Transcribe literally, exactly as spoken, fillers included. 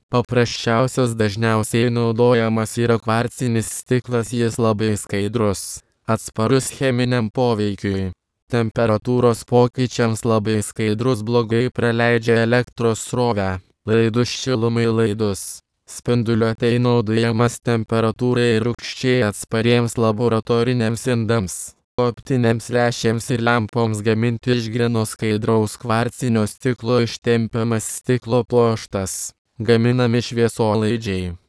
Paprasčiausias dažniausiai naudojamas yra kvarcinis stiklas, jis labai skaidrus, atsparus cheminiam poveikiui. Temperatūros pokyčiams labai skaidrus, blogai praleidžia elektros srovę, laidus šilumai laidus. Spinduliuotei naudojamas temperatūrai ir rūgščiai atspariems laboratoriniams indams, optinėms lęšiams ir lempoms gaminti iš gryno skaidraus kvarcinio stiklo ištempiamas stiklo pluoštas. Gaminami šviesolaidžiai.